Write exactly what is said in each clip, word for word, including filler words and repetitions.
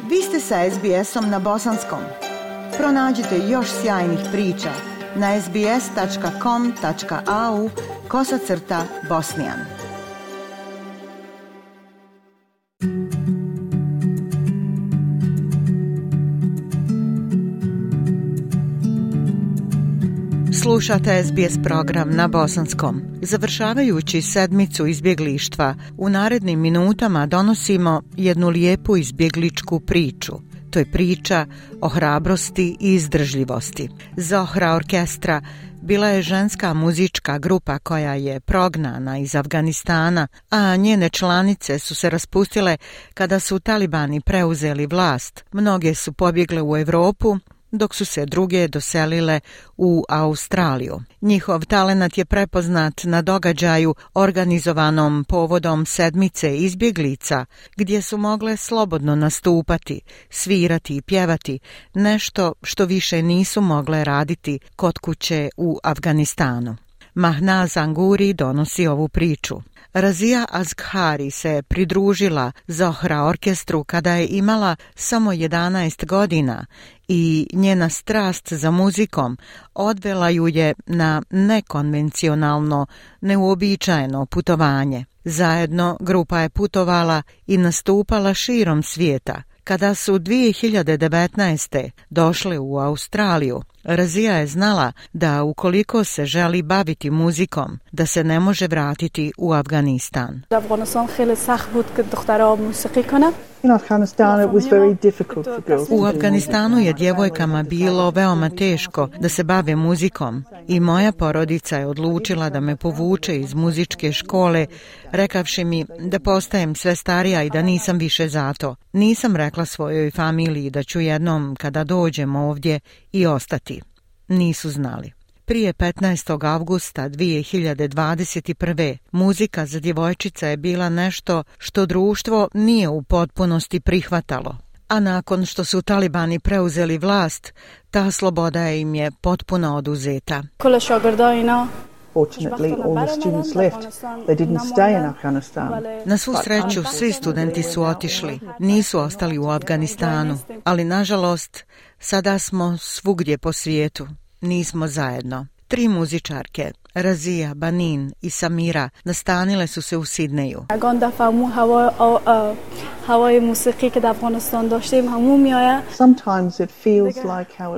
Vi ste sa es be esom na bosanskom. Pronađite još sjajnih priča na es be es tačka com tačka a u kosacrta bosnijan. Slušate es be es program na bosanskom. Završavajući sedmicu izbjeglištva, u narednim minutama donosimo jednu lijepu izbjegličku priču. To je priča o hrabrosti i izdržljivosti. Zohra Orkestra bila je ženska muzička grupa koja je prognana iz Afganistana, a njene članice su se raspustile kada su talibani preuzeli vlast. Mnoge su pobjegle u Europu, dok su se druge doselile u Australiju. Njihov talenat je prepoznat na događaju organizovanom povodom sedmice izbjeglica, gdje su mogle slobodno nastupati, svirati i pjevati, nešto što više nisu mogle raditi kod kuće u Afganistanu. Mahnaz Anguri donosi ovu priču. Razia Azghari se pridružila Zohra orkestru kada je imala samo jedanaest godina i njena strast za muzikom odvela ju je na nekonvencionalno, neuobičajeno putovanje. Zajedno grupa je putovala i nastupala širom svijeta. Kada su dvije hiljade devetnaeste. došle u Australiju, Razija je znala da ukoliko se želi baviti muzikom, da se ne može vratiti u Afganistan. U Afganistanu je djevojkama bilo veoma teško da se bave muzikom i moja porodica je odlučila da me povuče iz muzičke škole, rekavši mi da postajem sve starija i da nisam više za to. Nisam rekla svojoj familiji da ću jednom kada dođem ovdje i ostati. Nisu znali. Prije petnaestog avgusta dvije hiljade dvadeset prve. muzika za djevojčica je bila nešto što društvo nije u potpunosti prihvatalo. A nakon što su talibani preuzeli vlast, ta sloboda im je potpuno oduzeta. Fortunately, all the students left. They didn't stay in Afghanistan. Na svu sreću, svi studenti su otišli. Nisu ostali u Afganistanu. Ali, nažalost, sada smo svugdje po svijetu. Nismo zajedno. Tri muzičarke, Razija, Banin i Samira, nastanile su se u Sidneju.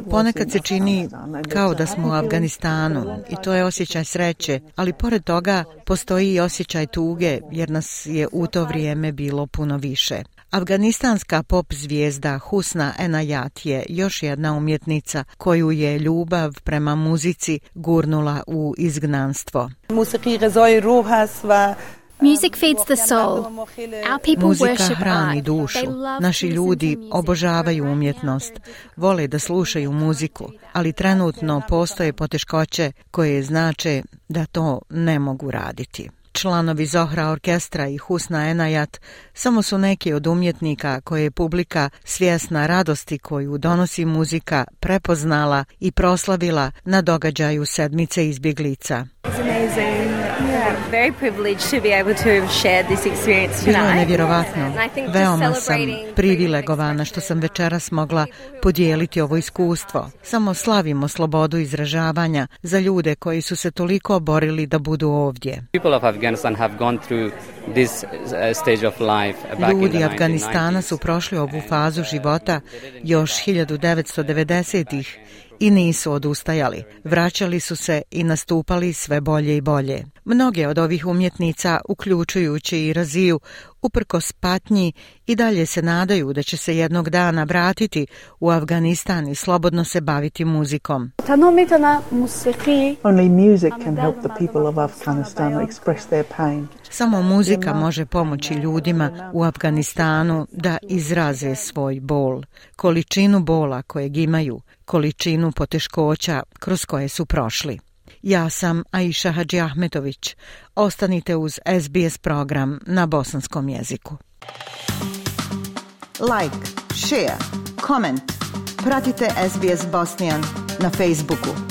Ponekad se čini kao da smo u Afganistanu i to je osjećaj sreće, ali pored toga postoji i osjećaj tuge jer nas je u to vrijeme bilo puno više. Afganistanska pop zvijezda Husna Enayat je još jedna umjetnica koju je ljubav prema muzici gurnula u izgnanstvo. Music feeds the soul. Our people Muzika worship hrani art. dušu. They love Naši to ljudi listen to music. obožavaju umjetnost, vole da slušaju muziku, ali trenutno postoje poteškoće koje znače da to ne mogu raditi. Članovi Zohra orkestra i Husna Enayat samo su neki od umjetnika koje je publika svjesna radosti koju donosi muzika prepoznala i proslavila na događaju sedmice izbjeglica. Very privileged to be able to have shared this experience Bilo je tonight. nevjerovatno. And I think just Veoma sam celebrating privilegovana što sam večeras mogla podijeliti ovo iskustvo. Samo slavimo slobodu izražavanja za ljude koji su se toliko borili da budu ovdje. People of Afghanistan have gone through this uh, stage of life back in the Ljudi Afganistana nineteen nineties. su prošli ovu fazu života još hiljadu devetsto devedesetih. I nisu odustajali. Vraćali su se i nastupali sve bolje i bolje. Mnoge od ovih umjetnica, uključujući i Raziju, uprkos patnji i dalje se nadaju da će se jednog dana vratiti u Afganistan i slobodno se baviti muzikom. Only music can help the people of Afghanistan express their pain. Samo muzika može pomoći ljudima u Afganistanu da izraze svoj bol, količinu bola kojeg imaju, količinu poteškoća kroz koje su prošli. Ja sam Aisha Hadži Ahmetović. Ostanite uz es be es program na bosanskom jeziku. Like, share, comment. Pratite es be es Bosnian na Facebooku.